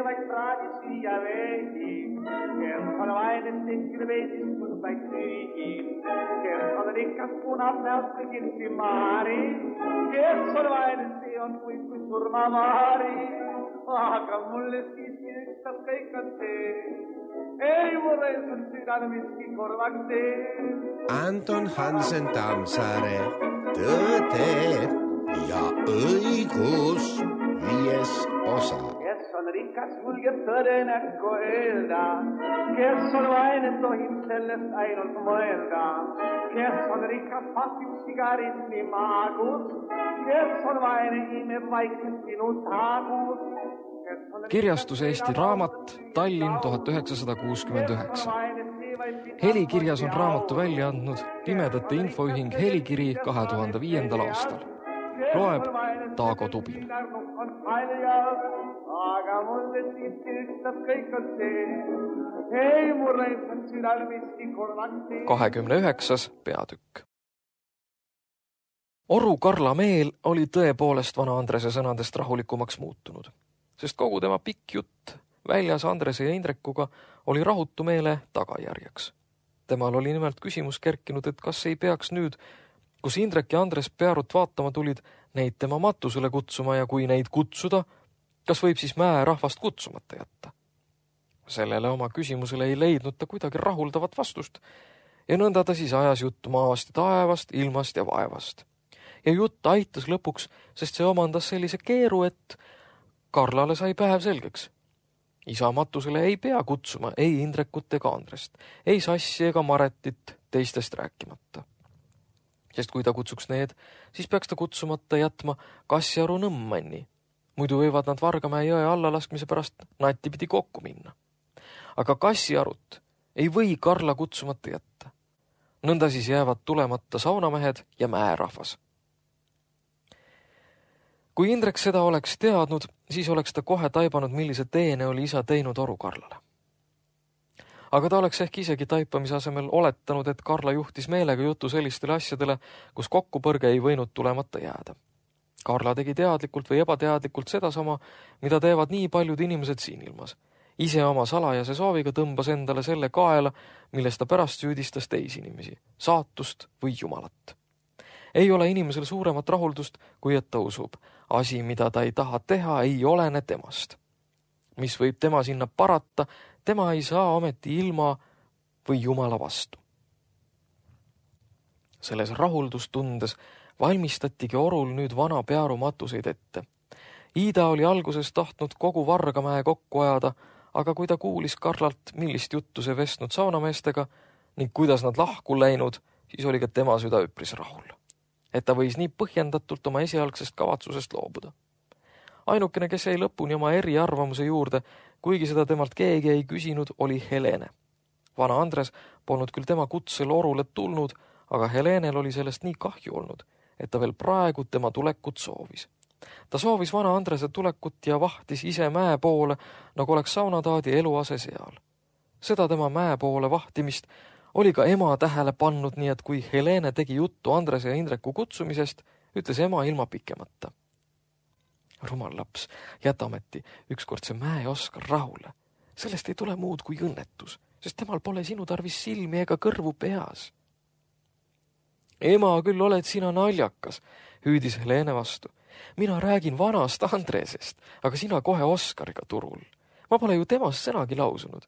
vaid praadi süüa veidi, kes on vaid tehtud veidistus vaid süügi, kes on rikas punab näost kõigil simaari, kes on vaid see on kui surmamaari, aga mulle siiski ükstas kõik on see, ei mulle on südame miski korvaks tee. Anton Hansen Tammsaare, Tõde ja õigus 5. osa. Kes on rikas, julgeb tõde näkku öelda, kes on vaene, tohib sellest ainult mõelda, kes on rikas, pasib sigaretti maagus, kes on vaene, imeb vaikselt sinu taagus. Kirjastus Eesti Raamat, Tallinn 1969. Helikirjas on raamatu välja andnud Pimedate Infoühing Helikiri 2005. aastal. Loeb Taago Tubin. Aga mulle siiski ükstas kõik on see, ei mulle on südal miski korvaks tee. 29. peatükk. Oru Karla meel oli tõepoolest vana Andrese sõnadest rahulikumaks muutunud, sest kogu tema pikk jutt väljas Andrese ja Indrekuga oli rahutu meele tagajärjeks. Temal oli nimelt küsimus kerkinud, et kas ei peaks nüüd, kus Indrek ja Andres Pearut vaatama tulid, neid tema matusele kutsuma ja kui neid kutsuda, kas võib siis mäe rahvast kutsumata jätta? Sellele oma küsimusele ei leidnud ta kuidagi rahuldavat vastust ja nõnda ta siis ajas juttu maast ja taevast, ilmast ja vaevast. Ja jutt aitas lõpuks, sest see omandas sellise keeru, et Karlale sai päev selgeks. Isa matusele ei pea kutsuma ei Indrekut ega Andrest, ei Sassi ega Maretit teistest rääkimata. Sest kui ta kutsuks need, siis peaks ta kutsumata jätma Kassjaru Nõmmanni. Muidu võivad nad Vargamäe jõe allalaskmise pärast natipidi kokku minna. Aga Kassjarut ei või Karla kutsumata jätta. Nõnda siis jäävad tulemata saunamehed ja mäerahvas. Kui Indrek seda oleks teadnud, siis oleks ta kohe taibanud, millise teene oli isa teinud Oru Karlale. Aga ta oleks ehk isegi taipamise asemel oletanud, et Karla juhtis meelega jutu sellistele asjadele, kus kokkupõrge ei võinud tulemata jääda. Karla tegi teadlikult või ebateadlikult sedasama, mida teevad nii paljud inimesed siin ilmas. Ise oma salajase sooviga tõmbas endale selle kaela, millest ta pärast süüdistas teisi inimesi, saatust või jumalat. Ei ole inimesel suuremat rahuldust, kui et ta usub. Asi, mida ta ei taha teha, ei olene temast. Mis võib tema sinna parata, tema ei saa ometi ilma või jumala vastu. Selles rahuldustundes valmistatigi Orul nüüd vana Pearu matuseid ette. Iida oli alguses tahtnud kogu Vargamäe kokku ajada, aga kui ta kuulis Karlalt, millist juttu see vestnud saunameestega ning kuidas nad lahku läinud, siis oli ka tema süda üpris rahul. Et ta võis nii põhjendatult oma esialgsest kavatsusest loobuda. Ainukene, kes jäi lõpuni oma eriarvamuse juurde, kuigi seda temalt keegi ei küsinud, oli Helene. Vana Andres polnud küll tema kutsel Orule tulnud, aga Helenel oli sellest nii kahju olnud, et ta veel praegu tema tulekut soovis. Ta soovis vana Andrese tulekut ja vahtis ise mäe poole, nagu oleks saunataadi eluase seal. Seda tema mäe poole vahtimist oli ka ema tähele pannud, nii et kui Helene tegi juttu Andrese ja Indreku kutsumisest, ütles ema ilma pikemata. Rumal laps, jätameti ükskord see mäe Oskar rahule. Sellest ei tule muud kui õnnetus, sest temal pole sinu tarvis silmi ega kõrvu peas. Ema, küll oled sina naljakas, hüüdis Helene vastu. Mina räägin vanast Andresest, aga sina kohe Oskariga turul. Ma pole ju temast sõnagi lausunud.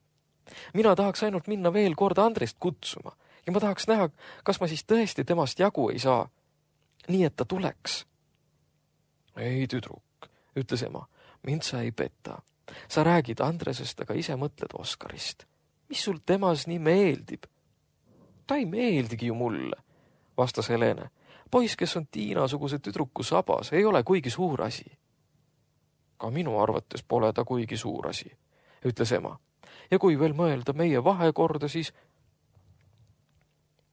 Mina tahaks ainult minna veel kord Andrest kutsuma ja ma tahaks näha, kas ma siis tõesti temast jagu ei saa. Nii, et ta tuleks. Ei, tüdruk, ütles ema, mind sa ei peta. Sa räägid Andresest, aga ise mõtled Oskarist. Mis sul temas nii meeldib? Ta ei meeldigi ju mulle, vastas Helene. Poiss, kes on Tiina-suguse tüdruku sabas, ei ole kuigi suur asi. Ka minu arvates pole ta kuigi suur asi, ütles ema. Ja kui veel mõelda meie vahekorda, siis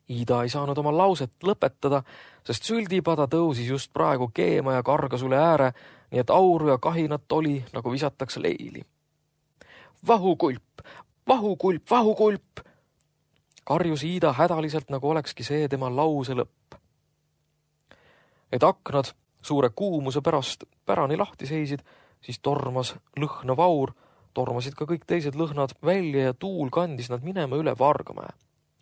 Iida ei saanud oma lauset lõpetada, sest süldipada tõusis just praegu keema ja kargas üle ääre, nii et auru ja kahinat oli, nagu visatakse leili. Vahukulp, vahukulp, vahukulp! Karjus Iida hädaliselt, nagu olekski see tema lause lõpp. Et aknad suure kuumuse pärast pärani lahti seisid, siis tormas lõhnav aur, tormasid ka kõik teised lõhnad välja ja tuul kandis nad minema üle Vargamäe.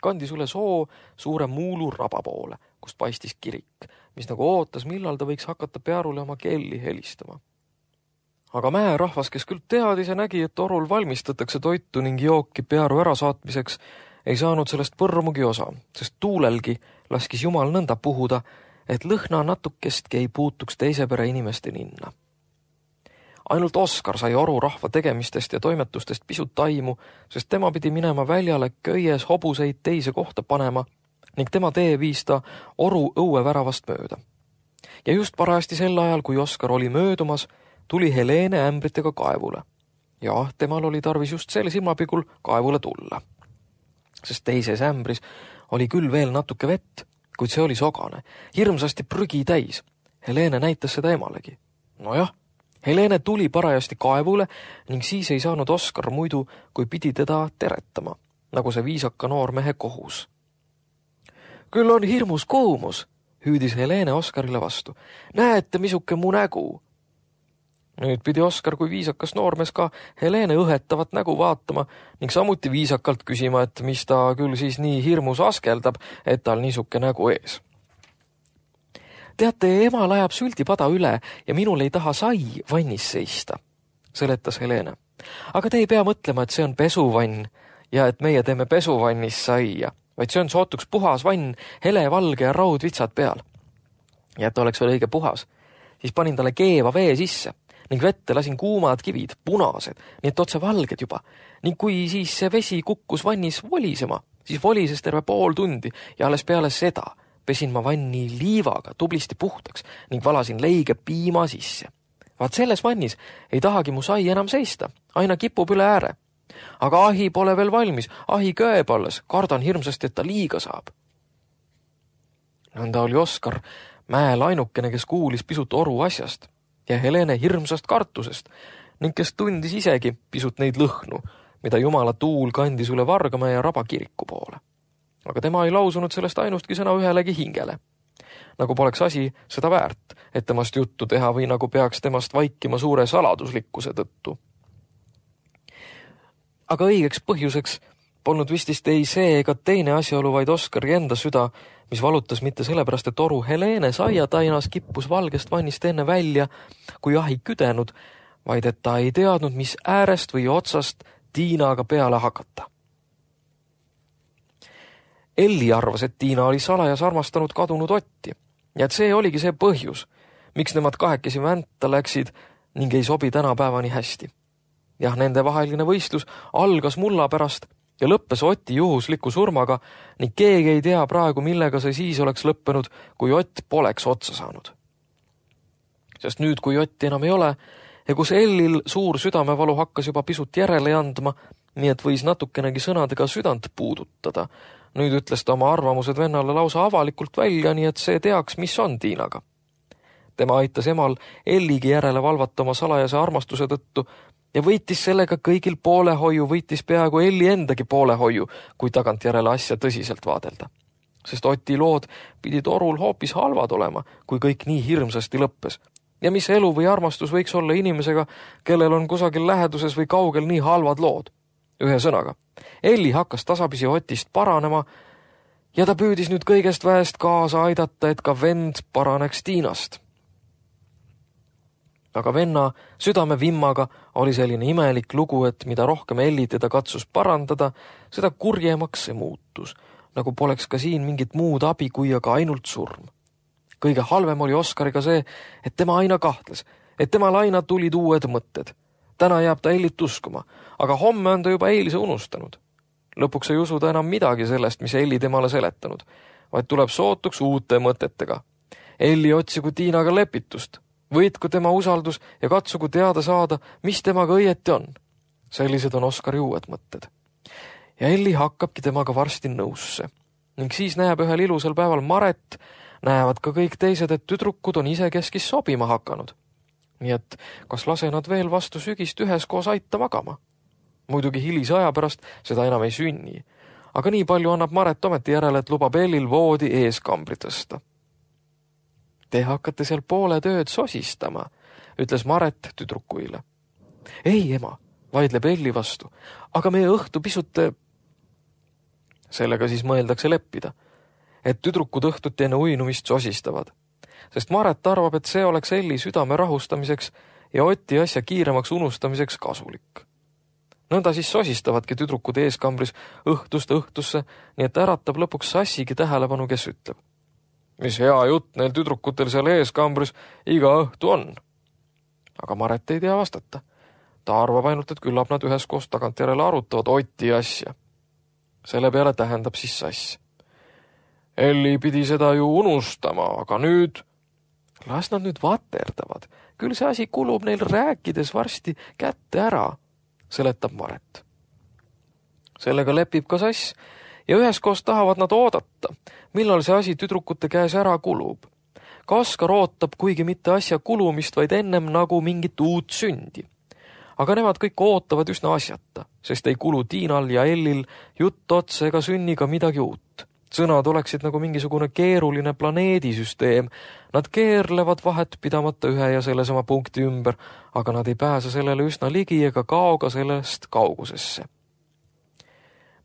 Kandis üle soo suure Muulu raba poole, kust paistis kirik, mis nagu ootas, millal ta võiks hakata Pearule oma kelli helistama. Aga mäerahvas, kes küll teadis ja nägi, et orul valmistatakse toitu ning jooki Pearu ärasaatmiseks, ei saanud sellest põrmugi osa, sest tuulelgi laskis Jumal nõnda puhuda, et lõhna natukestki ei puutuks teise pere inimeste ninna. Ainult Oskar sai oru rahva tegemistest ja toimetustest pisut taimu, sest tema pidi minema väljale köies hobuseid teise kohta panema ning tema tee viis ta oru õueväravast mööda. Ja just parajasti sel ajal, kui Oskar oli möödumas, tuli Helene ämbritega kaevule. Ja temal oli tarvis just selle silmapigul kaevule tulla. Sest teises ämbris oli küll veel natuke vett, kuid see oli sogane, hirmsasti prügi täis. Helene näitas seda emalegi. Nojah, Helene tuli parajasti kaevule ning siis ei saanud Oskar muidu, kui pidi teda teretama, nagu see viisaka noormehe kohus. Küll on hirmus koomus, hüüdis Helene Oskarile vastu. Näete, misuke mu nägu. Nüüd pidi Oskar kui viisakas noormees ka Helene õhetavat nägu vaatama ning samuti viisakalt küsima, et mis ta küll siis nii hirmus askeldab, et tal niisuke nägu ees. Teate, emal ajab süldipada üle ja minul ei taha sai vannis seista, seletas Helene. Aga te ei pea mõtlema, et see on pesuvann ja et meie teeme pesuvannis saia, vaid see on sootuks puhas vann, hele, valge ja raudvitsad peal. Ja et oleks veel õige puhas, siis panin talle keeva vee sisse ning vette lasin kuumad kivid, punased, nii et otse valged juba. Ning kui siis see vesi kukkus vannis volisema, siis volises terve pool tundi ja alles peale seda pesin ma vanni liivaga tublisti puhtaks ning valasin leige piima sisse. Vaat selles vannis ei tahagi mu sai enam seista, aina kipub üle ääre. Aga ahi pole veel valmis, ahi kööb alles, kardan hirmsasti, et ta liiga saab. Nõnda oli Oskar mäel ainukene, kes kuulis pisut oru asjast ja Helene hirmsast kartusest ning kes tundis isegi pisut neid lõhnu, mida Jumala tuul kandis üle Vargamäe ja Raba kiriku poole. Aga tema ei lausunud sellest ainustki sõna ühelegi hingele. Nagu poleks asi seda väärt, et temast juttu teha või nagu peaks temast vaikima suure saladuslikkuse tõttu. Aga õigeks põhjuseks polnud vistist ei see ega teine asjaolu, vaid Oskari enda süda, mis valutas mitte sellepärast, et oru Helene saiatainas kippus valgest vannist enne välja, kui ahi küdenud, vaid et ta ei teadnud, mis äärest või otsast Tiinaga peale hakata. Elli arvas, et Tiina oli salajas armastanud kadunud Otti ja et see oligi see põhjus, miks nemad kahekesi vänta läksid ning ei sobi tänapäevani hästi. Jah, nende vaheline võistlus algas mulla pärast ja lõppes Oti juhusliku surmaga ning keegi ei tea praegu, millega see siis oleks lõppenud, kui Ott poleks otsa saanud. Sest nüüd, kui Otti enam ei ole ja kus Ellil suur südamevalu hakkas juba pisut järele andma, nii et võis natukenegi sõnadega südant puudutada, nüüd ütles ta oma arvamused vennale lausa avalikult välja, nii et see teaks, mis on Tiinaga. Tema aitas emal Elligi järele valvata oma salajase armastuse tõttu ja võitis sellega kõigil poolehoiu, võitis peaaegu Elli endagi poolehoiu, kui tagantjärele asja tõsiselt vaadelda. Sest Oti lood pidid orul hoopis halvad olema, kui kõik nii hirmsasti lõppes. Ja mis elu või armastus võiks olla inimesega, kellel on kusagil läheduses või kaugel nii halvad lood? Ühe sõnaga, Elli hakkas tasapisi Otist paranema ja ta püüdis nüüd kõigest väest kaasa aidata, et ka vend paraneks Tiinast. Aga venna südamevimmaga oli selline imelik lugu, et mida rohkem Elli teda katsus parandada, seda kurjemaks see muutus, nagu poleks ka siin mingit muud abi kui aga ainult surm. Kõige halvem oli Oskariga see, et tema aina kahtles, et temal aina tulid uued mõtted. Täna jääb ta Ellit uskuma, aga homme on ta juba eilise unustanud. Lõpuks ei usuda enam midagi sellest, mis Elli temale seletanud, vaid tuleb sootuks uute mõtetega. Elli otsigu Tiinaga lepitust, võitku tema usaldus ja katsugu teada saada, mis temaga õieti on. Sellised on Oskari uued mõtted. Ja Elli hakkabki temaga varsti nõusse. Ning siis näeb ühel ilusal päeval Maret, näevad ka kõik teised, et tüdrukud on ise keskis sobima hakanud. Nii et kas lase nad veel vastu sügist üheskoos aita magama? Muidugi hilise aja pärast seda enam ei sünni, aga nii palju annab Maret ometi järele, et lubab Ellil voodi eeskambri tõsta. Te hakkate seal poole tööd sosistama, ütles Maret tüdrukuile. Ei, ema, vaidleb Elli vastu. Aga meie õhtu pisut... Sellega siis mõeldakse leppida, et tüdrukud õhtuti enne uinumist sosistavad. Sest Maret arvab, et see oleks Elli südame rahustamiseks ja Oti asja kiiremaks unustamiseks kasulik. Nõnda siis sosistavadki tüdrukud eeskambris õhtust õhtusse, nii et äratab lõpuks Sassigi tähelepanu, kes ütleb. Mis hea jutt neil tüdrukutel seal eeskambris iga õhtu on. Aga Maret ei tea vastata. Ta arvab ainult, et küllap nad üheskoos tagantjärele arutavad Oti asja. Selle peale tähendab siis Sass. Elli pidi seda ju unustama, aga nüüd... Las nad nüüd vaterdavad. Küll see asi kulub neil rääkides varsti kätte ära, seletab Maret. Sellega lepib ka Sass ja üheskoos tahavad nad oodata, millal see asi tüdrukute käes ära kulub. Ka Oskar ootab kuigi mitte asja kulumist, vaid ennem nagu mingit uut sündi. Aga nemad kõik ootavad üsna asjata, sest ei kulu Tiinal ja Ellil jutt otsa ega sünni ka midagi uut. Sõnad oleksid nagu mingisugune keeruline planeedisüsteem. Nad keerlevad vahet pidamata ühe ja sellesama punkti ümber, aga nad ei pääse sellele üsna ligi ega kao ka sellest kaugusesse.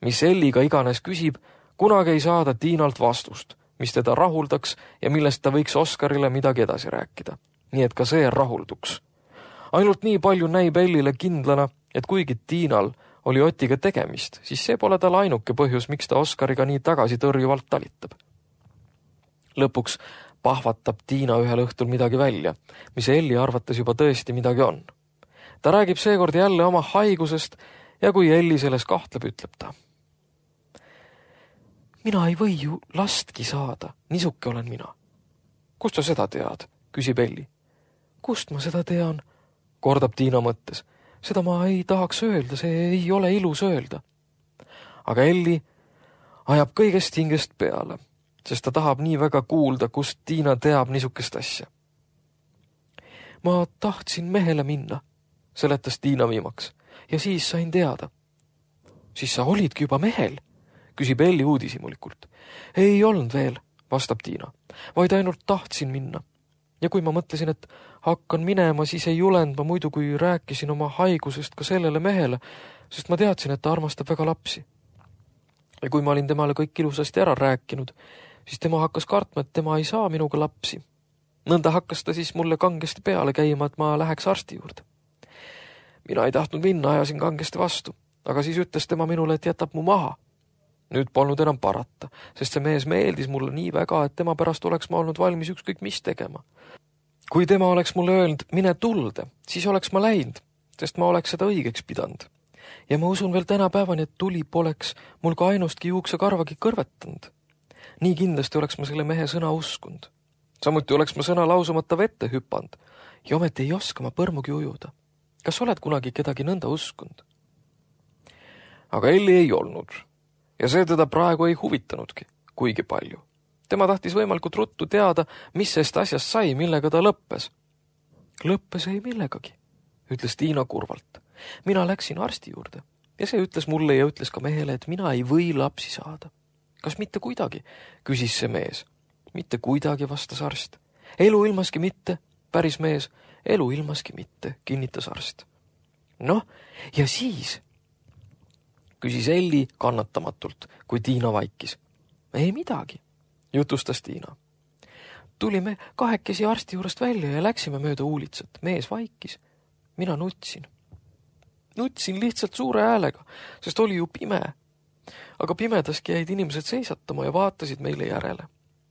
Mis Elliga iganes küsib, kunagi ei saada Tiinalt vastust, mis teda rahuldaks ja millest ta võiks Oskarile midagi edasi rääkida. Nii et ka see rahulduks. Ainult nii palju näib Ellile kindlana, et kuigi Tiinal oli Otiga tegemist, siis see pole tal ainuke põhjus, miks ta Oskariga nii tagasi tõrjuvalt talitab. Lõpuks pahvatab Tiina ühel õhtul midagi välja, mis Elli arvates juba tõesti midagi on. Ta räägib seekord jälle oma haigusest ja kui Elli selles kahtleb, ütleb ta. Mina ei või ju lastki saada, nisuke olen mina. Kust sa seda tead, küsib Elli. Kust ma seda tean, kordab Tiina mõttes. Seda ma ei tahaks öelda, see ei ole ilus öelda. Aga Elli ajab kõigest hingest peale, sest ta tahab nii väga kuulda, kust Tiina teab niisukest asja. Ma tahtsin mehele minna, seletas Tiina viimaks, ja siis sain teada. Siis sa olidki juba mehel, küsib Elli uudisimulikult. Ei olnud veel, vastab Tiina, vaid ainult tahtsin minna. Ja kui ma mõtlesin, et hakkan minema, siis ei julend ma muidu, kui rääkisin oma haigusest ka sellele mehele, sest ma teadsin, et ta armastab väga lapsi. Ja kui ma olin temale kõik ilusasti ära rääkinud, siis tema hakkas kartma, et tema ei saa minuga lapsi. Nõnda hakkas ta siis mulle kangesti peale käima, et ma läheks arsti juurde. Mina ei tahtnud minna, ajasin kangesti vastu, aga siis ütles tema minule, et jätab mu maha. Nüüd polnud enam parata, sest see mees meeldis mulle nii väga, et tema pärast oleks ma olnud valmis ükskõik mis tegema. Kui tema oleks mulle öelnud, mine tulde, siis oleks ma läinud, sest ma oleks seda õigeks pidanud. Ja ma usun veel tänapäevani, et tuli poleks mul ka ainustki juuksekarvagi kõrvetanud. Nii kindlasti oleks ma selle mehe sõna uskunud. Samuti oleks ma sõna lausumata vette hüpanud ja ometi ei oska ma põrmugi ujuda. Kas oled kunagi kedagi nõnda uskunud? Aga Elli ei olnud ja see teda praegu ei huvitanudki kuigi palju. Tema tahtis võimalikult ruttu teada, mis sest asjast sai, millega ta lõppes. Lõppes ei millegagi, ütles Tiina kurvalt. Mina läksin arsti juurde ja see ütles mulle ja ütles ka mehele, et mina ei või lapsi saada. Kas mitte kuidagi, küsis see mees. Mitte kuidagi, vastas arst. Elu ilmaski mitte, päris mees, elu ilmaski mitte, kinnitas arst. Noh, ja siis, küsis Elli kannatamatult, kui Tiina vaikis. Ei midagi, jutustas Tiina. Tulime kahekesi arsti juurest välja ja läksime mööda uulitsat. Mees vaikis. Mina nutsin. Nutsin lihtsalt suure häälega, sest oli ju pime. Aga pimedaski jäid inimesed seisatama ja vaatasid meile järele.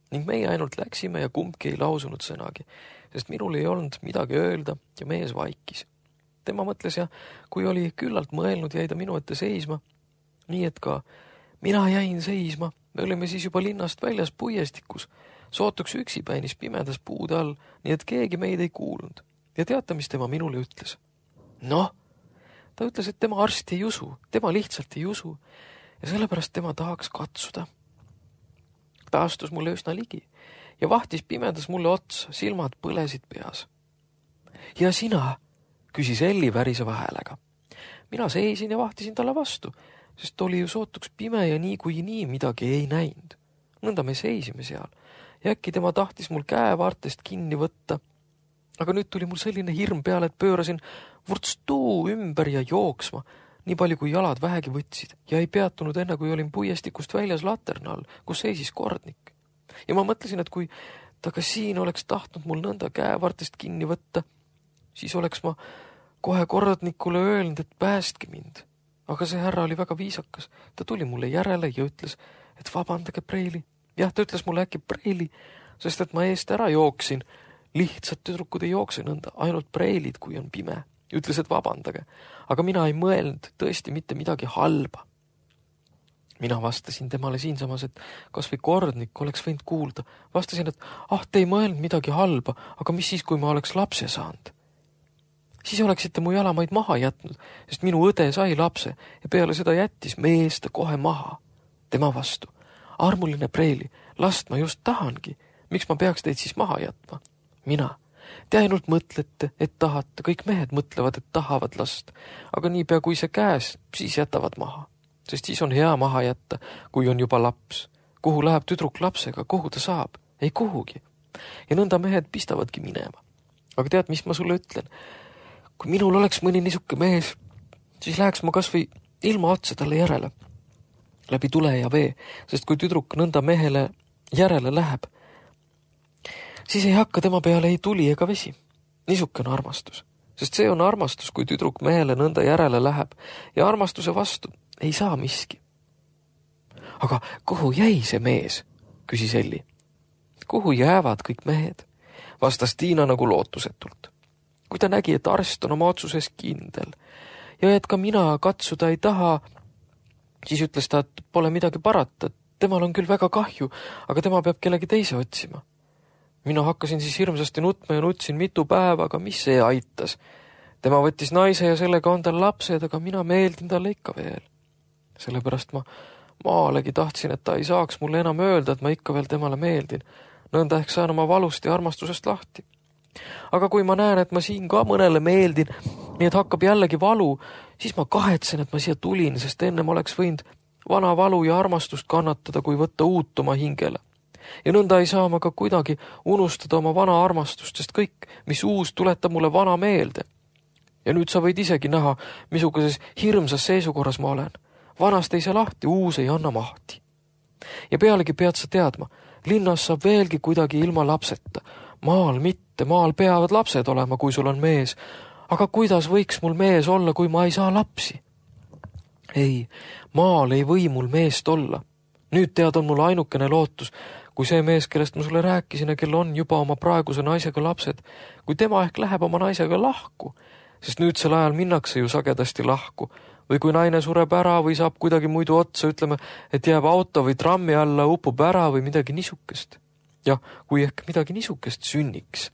Ning meie ainult läksime ja kumbki ei lausunud sõnagi, sest minul ei olnud midagi öelda ja mees vaikis. Tema mõtles ja kui oli küllalt mõelnud, jäi ta minu ette seisma. Nii et ka mina jäin seisma. Me olime siis juba linnast väljas puiestikus. Sootuks üksipäinis pimedas puude all, nii et keegi meid ei kuulnud. Ja teate, mis tema minule ütles? Noh, ta ütles, et tema arsti ei usu. Tema lihtsalt ei usu. Ja sellepärast tema tahaks katsuda. Ta astus mulle üsna ligi ja vahtis pimedas mulle otsa, silmad põlesid peas. Ja sina, küsis Elli väriseva häälega. Mina seisin ja vahtisin talle vastu, sest oli ju sootuks pime ja nii kui nii midagi ei näinud. Nõnda me seisime seal ja äkki tema tahtis mul käevaartest kinni võtta Aga nüüd tuli mul selline hirm peale, et pöörasin vurtstuu ümber ja jooksma, nii palju kui jalad vähegi võtsid ja ei peatunud enne, kui olin puiestikust väljas laterna all, kus seisis kordnik. Ja ma mõtlesin, et kui ta ka siin oleks tahtnud mul nõnda käevartest kinni võtta, siis oleks ma kohe kordnikule öelnud, et päästke mind. Aga see härra oli väga viisakas. Ta tuli mulle järele ja ütles, et vabandage, preili. Jah, ta ütles mulle äkki preili, sest et ma eest ära jooksin. Lihtsalt tüdrukud ei jookse nõnda, ainult preilid, kui on pime. Ütles, et vabandage. Aga mina ei mõelnud tõesti mitte midagi halba. Mina vastasin temale siinsamas, et kas või kordnik oleks võinud kuulda. Vastasin, et te ei mõelnud midagi halba, aga mis siis, kui ma oleks lapse saanud? Siis oleksite mu jalamaid maha jätnud, sest minu õde sai lapse ja peale seda jättis mees ta kohe maha. Tema vastu. Armuline preili, last ma just tahangi. Miks ma peaks teid siis maha jätma? Mina. Te ainult mõtlete, et tahate. Kõik mehed mõtlevad, et tahavad last. Aga niipea kui see käes, siis jätavad maha. Sest siis on hea maha jätta, kui on juba laps. Kuhu läheb tüdruk lapsega? Kuhu ta saab? Ei kuhugi. Ja nõnda mehed pistavadki minema. Aga tead, mis ma sulle ütlen? Kui minul oleks mõni niisuke mees, siis läheks ma kas või ilma otsa talle järele, läbi tule ja vee, sest kui tüdruk nõnda mehele järele läheb, siis ei hakka tema peale ei tuli ega vesi. Niisuke on armastus, sest see on armastus, kui tüdruk mehele nõnda järele läheb ja armastuse vastu ei saa miski. Aga kuhu jäi see mees, küsis Elli. Kuhu jäävad kõik mehed, vastas Tiina nagu lootusetult. Kui ta nägi, et arst on oma otsuses kindel ja et ka mina katsuda ei taha, siis ütles ta, et pole midagi parata. Temal on küll väga kahju, aga tema peab kellegi teise otsima. Mina hakkasin siis hirmsasti nutma ja nutsin mitu päeva, aga mis see aitas? Tema võttis naise ja sellega on tal lapsed, aga mina meeldin talle ikka veel. Sellepärast ma maalegi tahtsin, et ta ei saaks mulle enam öelda, et ma ikka veel temale meeldin. Nõnda ehk saan oma valust ja armastusest lahti. Aga kui ma näen, et ma siin ka mõnele meeldin, nii et hakkab jällegi valu, siis ma kahetsen, et ma siia tulin, sest ennem oleks võinud vana valu ja armastust kannatada, kui võtta uut oma hingele. Ja nõnda ei saa ma ka kuidagi unustada oma vana armastust, sest kõik, mis uus, tuletab mulle vana meelde. Ja nüüd sa võid isegi näha, misuguses hirmsas seisukorras ma olen. Vanast ei saa lahti, uus ei anna mahti. Ja pealegi pead sa teadma, linnas saab veelgi kuidagi ilma lapseta. Maal mitte, maal peavad lapsed olema, kui sul on mees. Aga kuidas võiks mul mees olla, kui ma ei saa lapsi? Ei, maal ei või mul meest olla. Nüüd tead on mul ainukene lootus, kui see mees, kellest ma sulle rääkisin ja kel on juba oma praeguse naisega lapsed, kui tema ehk läheb oma naisega lahku, sest nüüdsel ajal minnakse ju sagedasti lahku, või kui naine sureb ära või saab kuidagi muidu otsa, ütleme, et jääb auto või trammi alla, upub ära või midagi niisukest. Jah, kui ehk midagi niisukest sünniks.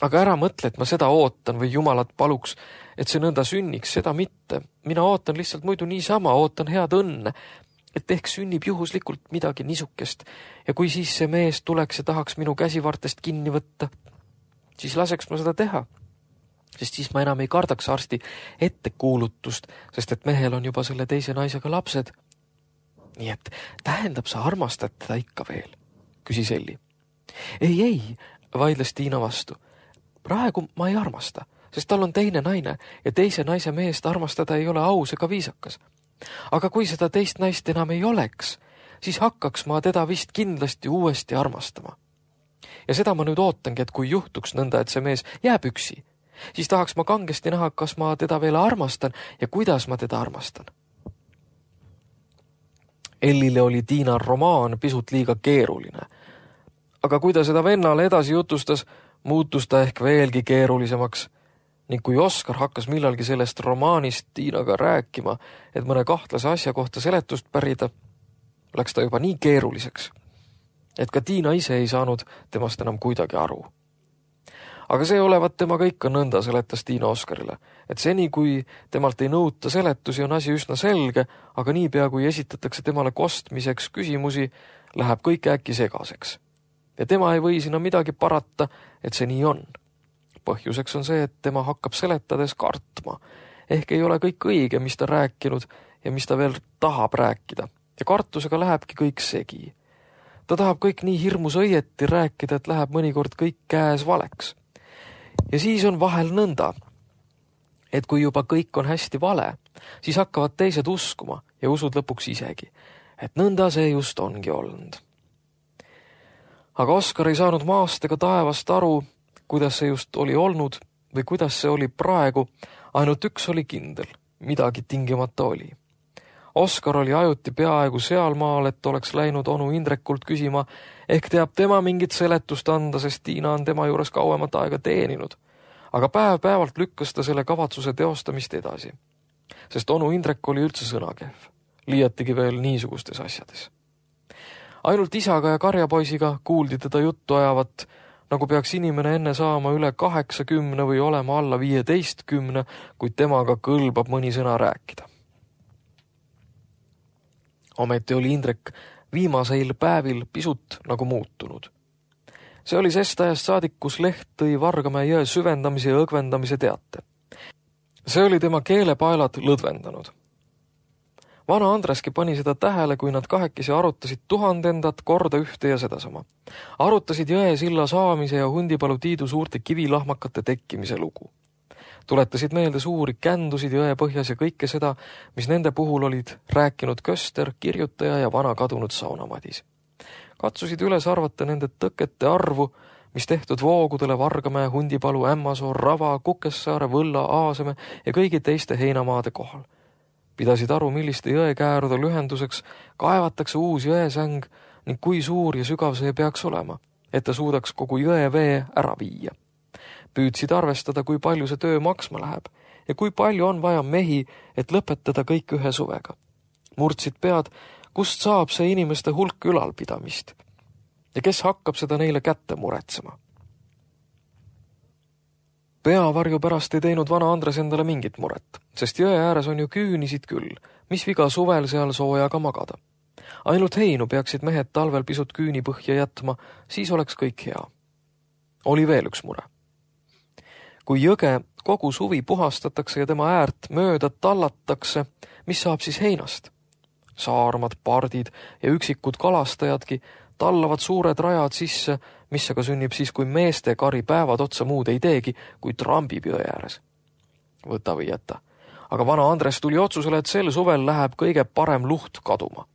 Aga ära mõtle, et ma seda ootan või jumalat paluks, et see nõnda sünniks, seda mitte. Mina ootan lihtsalt muidu niisama, ootan head õnne, et ehk sünnib juhuslikult midagi niisukest. Ja kui siis see mees tuleks ja tahaks minu käsivartest kinni võtta, siis laseks ma seda teha. Sest siis ma enam ei kardaks arsti ettekuulutust, sest et mehel on juba selle teise naisega lapsed. Nii et tähendab, sa armastad teda ikka veel, küsis Elli. Ei, vaidles Tiina vastu. Praegu ma ei armasta, sest tal on teine naine ja teise naise meest armastada ei ole aus ega viisakas. Aga kui seda teist naist enam ei oleks, siis hakkaks ma teda vist kindlasti uuesti armastama. Ja seda ma nüüd ootangi, et kui juhtuks nõnda, et see mees jääb üksi, siis tahaks ma kangesti näha, kas ma teda veel armastan ja kuidas ma teda armastan. Ellile oli Tiina romaan pisut liiga keeruline. Aga kui ta seda vennale edasi jutustas, muutus ta ehk veelgi keerulisemaks. Ning kui Oskar hakkas millalgi sellest romaanist Tiinaga rääkima, et mõne kahtlase asja kohta seletust pärida, läks ta juba nii keeruliseks, et ka Tiina ise ei saanud temast enam kuidagi aru. Aga see olevat temaga ikka nõnda, seletas Tiina Oskarile, et seni kui temalt ei nõuta seletusi, on asi üsna selge, aga niipea kui esitatakse temale kostmiseks küsimusi, läheb kõik äkki segaseks. Ja tema ei või sinna midagi parata, et see nii on. Põhjuseks on see, et tema hakkab seletades kartma. Ehk ei ole kõik õige, mis ta rääkinud ja mis ta veel tahab rääkida. Ja kartusega lähebki kõik segi. Ta tahab kõik nii hirmus õieti rääkida, et läheb mõnikord kõik käes valeks. Ja siis on vahel nõnda, et kui juba kõik on hästi vale, siis hakkavad teised uskuma ja usud lõpuks isegi, et nõnda see just ongi olnud. Aga Oskar ei saanud maast ega taevast aru, kuidas see just oli olnud või kuidas see oli praegu, ainult üks oli kindel, midagi tingimata oli. Oskar oli ajuti peaaegu sealmaal, et oleks läinud onu Indrekult küsima, ehk teab tema mingit seletust anda, sest Tiina on tema juures kauemat aega teeninud. Aga päev-päevalt lükkas ta selle kavatsuse teostamist edasi, sest onu Indrek oli üldse sõnakehv, liiatigi veel niisugustes asjades. Ainult isaga ja karjapoisiga kuuldi teda juttu ajavat, nagu peaks inimene enne saama üle 80 või olema alla 15, kuid temaga kõlbab mõni sõna rääkida. Ometi oli Indrek viimaseil päevil pisut nagu muutunud. See oli sest ajast saadik, kus leht tõi Vargamäe jõe süvendamise ja õgvendamise teate. See oli tema keelepaelad lõdvendanud. Vana Andreski pani seda tähele, kui nad kahekesi arutasid 1000 korda ühte ja sedasama. Arutasid jõe silla saamise ja Hundipalu Tiidu suurte kivilahmakate tekkimise lugu. Tuletasid meelde suuri kändusid jõe põhjas ja kõike seda, mis nende puhul olid rääkinud Köster, kirjutaja ja vana kadunud saunamadis. Katsusid üles arvata nende tõkete arvu, mis tehtud voogudele Vargamäe, Hundipalu, Ämmasoo, Rava, Kukessaare, Võlla, Aaseme ja kõigi teiste heinamaade kohal. Pidasid aru, milliste jõekäärude lühenduseks kaevatakse uus jõesäng ning kui suur ja sügav see peaks olema, et ta suudaks kogu jõe vee ära viia. Püüdsid arvestada, kui palju see töö maksma läheb ja kui palju on vaja mehi, et lõpetada kõik ühe suvega. Murdsid pead, kust saab see inimeste hulk ülalpidamist ja kes hakkab seda neile kätte muretsema. Peavarju pärast ei teinud vana Andres endale mingit muret, sest jõe ääres on ju küünisid küll, mis viga suvel seal soojaga magada. Ainult heinu peaksid mehed talvel pisut küüni põhja jätma, siis oleks kõik hea. Oli veel üks mure. Kui jõge kogu suvi puhastatakse ja tema äärt mööda tallatakse, mis saab siis heinast? Saarmad, pardid ja üksikud kalastajadki tallavad suured rajad sisse, mis aga sünnib siis, kui meeste kari päevad otsa muud ei teegi, kui trambib jõe ääres. Võta või jäta. Aga vana Andres tuli otsusele, et sel suvel läheb kõige parem luht kaduma.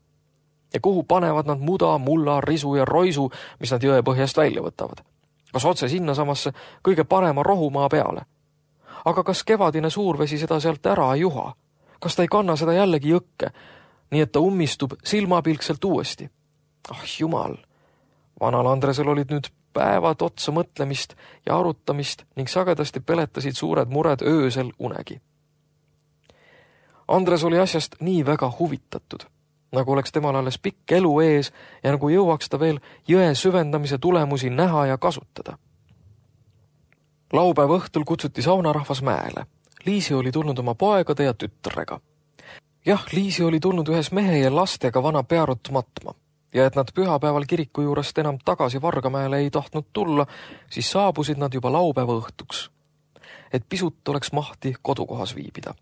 Ja kuhu panevad nad muda, mulla, risu ja roisu, mis nad jõe põhjast välja võtavad? Kas otse sinna samasse kõige parema rohumaa peale? Aga kas kevadine suurvesi seda sealt ära ei juha? Kas ta ei kanna seda jällegi jõkke, nii et ta ummistub silmapilkselt uuesti? Ah jumal! Vanal Andresel olid nüüd päevad otsa mõtlemist ja arutamist ning sagedasti peletasid suured mured öösel unegi. Andres oli asjast nii väga huvitatud, nagu oleks temal alles pikk elu ees ja nagu jõuaks ta veel jõe süvendamise tulemusi näha ja kasutada. Laupäeva õhtul kutsuti saunarahvas mäele. Liisi oli tulnud oma poegade ja tütrega. Jah, Liisi oli tulnud ühes mehe ja lastega vana Pearut matma. Ja et nad pühapäeval kiriku juurest enam tagasi Vargamäele ei tahtnud tulla, siis saabusid nad juba laupäeva õhtuks, et pisut oleks mahti kodukohas viibida.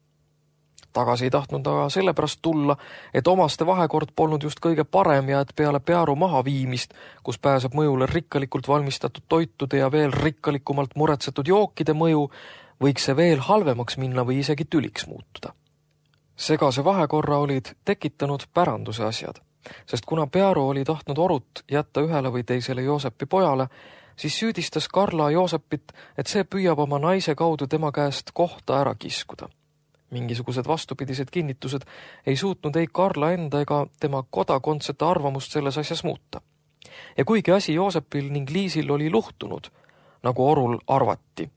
Tagasi ei tahtnud aga sellepärast tulla, et omaste vahekord polnud just kõige parem ja et peale Pearu mahaviimist, kus pääseb mõjule rikkalikult valmistatud toitude ja veel rikkalikumalt muretsetud jookide mõju, võiks see veel halvemaks minna või isegi tüliks muutuda. Segase vahekorra olid tekitanud päranduse asjad. Sest kuna Pearu oli tahtnud orut jätta ühele või teisele Joosepi pojale, siis süüdistas Karla Joosepit, et see püüab oma naise kaudu tema käest kohta ära kiskuda. Mingisugused vastupidised kinnitused ei suutnud ei Karla enda ega tema kodakondsete arvamust selles asjas muuta. Ja kuigi asi Joosepil ning Liisil oli luhtunud, nagu orul arvati,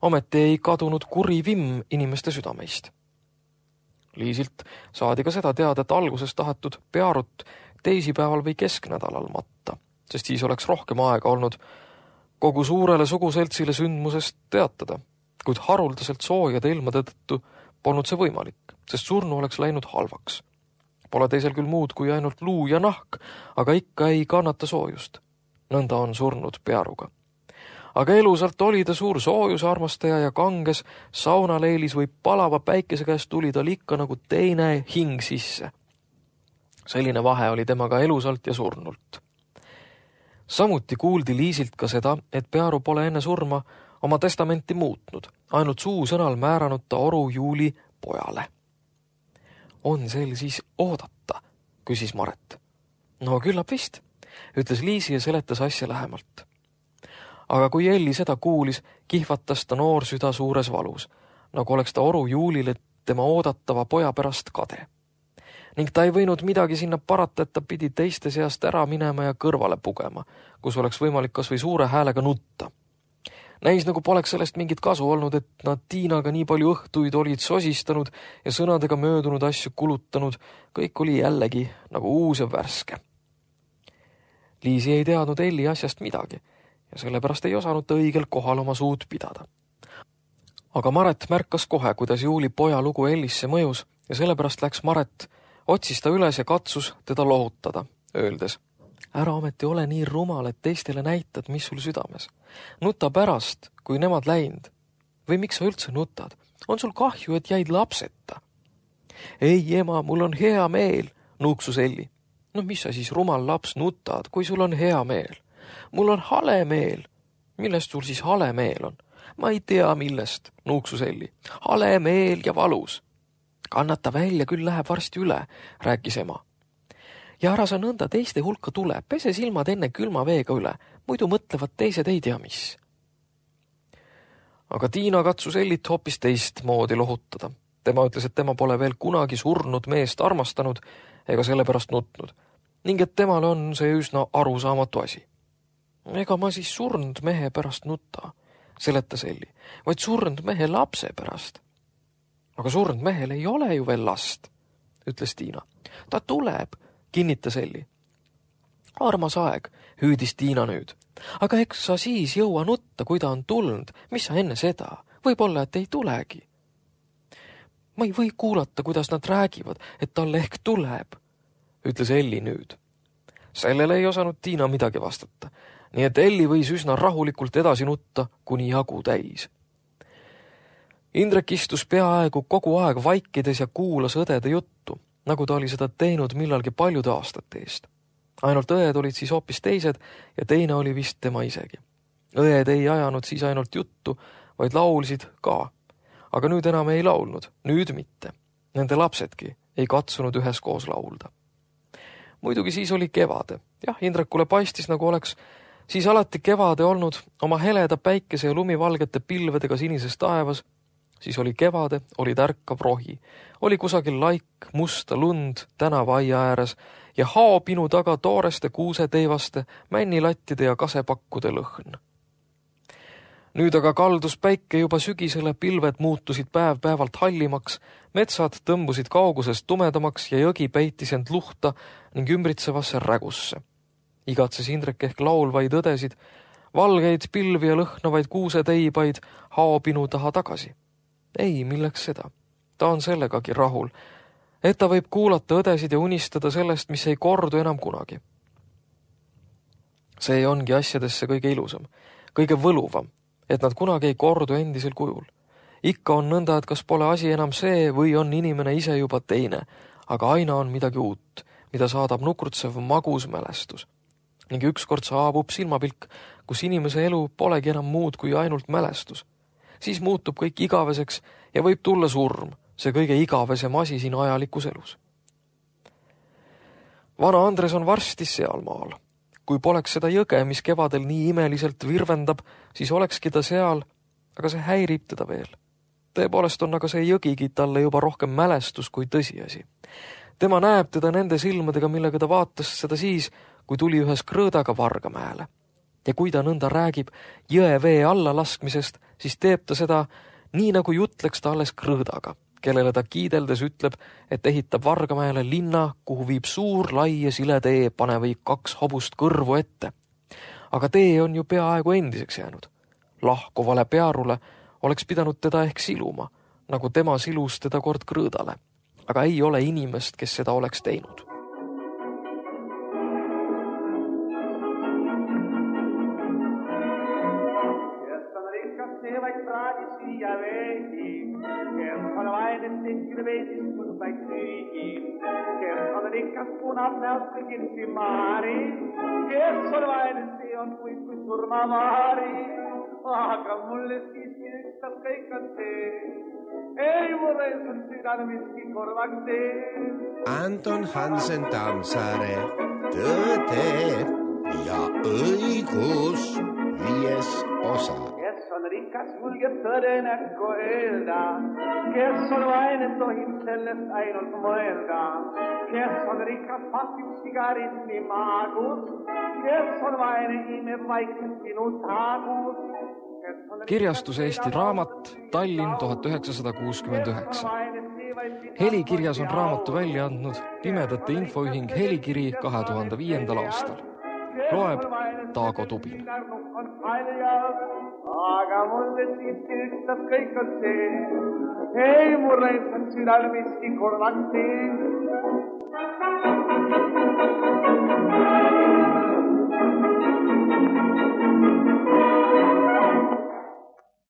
ometi ei kadunud kuri vimm inimeste südameist. Liisilt saadi ka seda teada, et alguses tahetud Pearut teisipäeval või kesknädalal matta, sest siis oleks rohkem aega olnud kogu suurele suguseltsile sündmusest teatada, kuid haruldaselt soojade ilmade tõttu polnud see võimalik, sest surnu oleks läinud halvaks. Pole teisel küll muud kui ainult luu ja nahk, aga ikka ei kannata soojust. Nõnda on surnud Pearuga. Aga elusalt oli ta suur soojusarmastaja ja kanges saunaleilis või palava päikese käest tuli tal ikka nagu teine hing sisse. Selline vahe oli temaga elusalt ja surnult. Samuti kuuldi Liisilt ka seda, et Pearu pole enne surma oma testamenti muutnud, ainult suusõnal määranud ta oru Juuli pojale. On sel siis oodata, küsis Maret. No küllap vist, ütles Liisi ja seletas asja lähemalt. Aga kui Elli seda kuulis, kihvatas ta noor süda suures valus, nagu oleks ta oru Juulile tema oodatava poja pärast kade. Ning ta ei võinud midagi sinna parata, et ta pidi teiste seast ära minema ja kõrvale pugema, kus oleks võimalik kas või suure häälega nutta. Näis nagu poleks sellest mingit kasu olnud, et nad Tiinaga nii palju õhtuid olid sosistanud ja sõnadega möödunud asju kulutanud, kõik oli jällegi nagu uus ja värske. Liisi ei teadnud Elli asjast midagi ja sellepärast ei osanud ta õigel kohal oma suud pidada. Aga Maret märkas kohe, kuidas Juuli poja lugu Ellisse mõjus ja sellepärast läks Maret, otsis ta üles ja katsus teda lohutada, öeldes: ära ometi ole nii rumal, et teistele näitad, mis sul südames. Nuta pärast, kui nemad läinud. Või miks sa üldse nutad? On sul kahju, et jäid lapseta? Ei, ema, mul on hea meel, nuuksus Elli. No mis sa siis rumal laps nutad, kui sul on hea meel? Mul on hale meel. Millest sul siis hale meel on? Ma ei tea millest, nuuksus Elli. Hale meel ja valus. Kannata välja, küll läheb varsti üle, rääkis ema. Ja ära sa nõnda teiste hulka tule, pese silmad enne külma veega üle, muidu mõtlevad teised ei tea mis. Aga Tiina katsus Ellit hoopis teistmoodi lohutada. Tema ütles, et tema pole veel kunagi surnud meest armastanud ega sellepärast nutnud, ning et temale on see üsna arusaamatu asi. Ega ma siis surnud mehe pärast nutta, seletas Elli, vaid surnud mehe lapse pärast. Aga surnud mehel ei ole ju veel last, ütles Tiina. Ta tuleb, kinnitas Elli. Armas aeg, hüüdis Tiina nüüd. Aga eks sa siis jõua nutta, kui ta on tulnud. Mis sa enne seda? Võib-olla, et ei tulegi. Ma ei või kuulata, kuidas nad räägivad, et talle ehk tuleb, ütles Elli nüüd. Sellele ei osanud Tiina midagi vastata, nii et Elli võis üsna rahulikult edasi nutta, kuni jagu täis. Indrek istus peaaegu kogu aeg vaikides ja kuulas õdede juttu, nagu ta oli seda teinud millalgi paljude aastate eest. Ainult õed olid siis hoopis teised ja teine oli vist tema isegi. Õed ei ajanud siis ainult juttu, vaid laulsid ka. Aga nüüd enam ei laulnud, nüüd mitte. Nende lapsedki ei katsunud üheskoos laulda. Muidugi siis oli kevade. Jah, Indrekule paistis, nagu oleks siis alati kevade olnud oma heleda päikese ja lumivalgete pilvedega sinises taevas. Siis oli kevade, oli tärkav rohi. Oli kusagil laik, musta lund tänava aia ääres ja haopinu taga tooreste kuuseteivaste, männilattide ja kasepakkude lõhn. Nüüd aga kaldus päike juba sügisele, pilved muutusid päev-päevalt hallimaks, metsad tõmbusid kaugusest tumedamaks ja jõgi peitis end luhta ning ümbritsevasse rägusse. Igatses Indrek ehk laulvaid õdesid, valgeid pilvi ja lõhnavaid kuuseteibaid haopinu taha tagasi. Ei, milleks seda? Ta on sellegagi rahul, et ta võib kuulata õdesid ja unistada sellest, mis ei kordu enam kunagi. See ongi asjadesse kõige ilusam, kõige võluvam, et nad kunagi ei kordu endisel kujul. Ikka on nõnda, et kas pole asi enam see või on inimene ise juba teine, aga aina on midagi uut, mida saadab nukrutsev magus mälestus. Ning ükskord saabub silmapilk, kus inimese elu polegi enam muud kui ainult mälestus. Siis muutub kõik igaveseks ja võib tulla surm, see kõige igavesem asi siin ajalikus elus. Vana Andres on varsti sealmaal. Kui poleks seda jõge, mis kevadel nii imeliselt virvendab, siis olekski ta seal, aga see häirib teda veel. Tõepoolest on aga see jõgigi talle juba rohkem mälestus kui tõsiasi. Tema näeb teda nende silmadega, millega ta vaatas seda siis, kui tuli ühes krõõdaga Vargamäele. Ja kui ta nõnda räägib jõe vee alla laskmisest, siis teeb ta seda nii, nagu jutleks ta alles krõõdaga, kellele ta kiideldes ütleb, et ehitab Vargamäele linna, kuhu viib suur, lai ja sile tee, pane või 2 hobust kõrvu ette. Aga tee on ju peaaegu endiseks jäänud. Lahkuvale pearule oleks pidanud teda ehk siluma, nagu tema silus teda kord krõõdale. Aga ei ole inimest, kes seda oleks teinud. Kas punab näost kõigilsi maari, kes on vaene, see on kui surmavaari. aga mulle siiski ükstas kõik on see. Ei mulle sul südame miski korvaks tee. Anton Hansen Tammsaare, Tõde ja õigus, 5. osa. Kes on rikas, julgeb tõde näkku öelda. Kes on vaene, tohib sellest ainult mõelda. Kes on rikas, pasib sigarismi maagus. Kes on vaene, imeb vaikselt sinu taagus. Kirjastus Eesti Raamat, Tallinn 1969. Helikirjas on raamatu välja andnud Pimedate Infoühing Helikiri 2005. aastal. Loeb Taago Tubin. Aga mulle siiski ükstas kõik on see. Ei mulle ilmselt südal miski korvaks tee.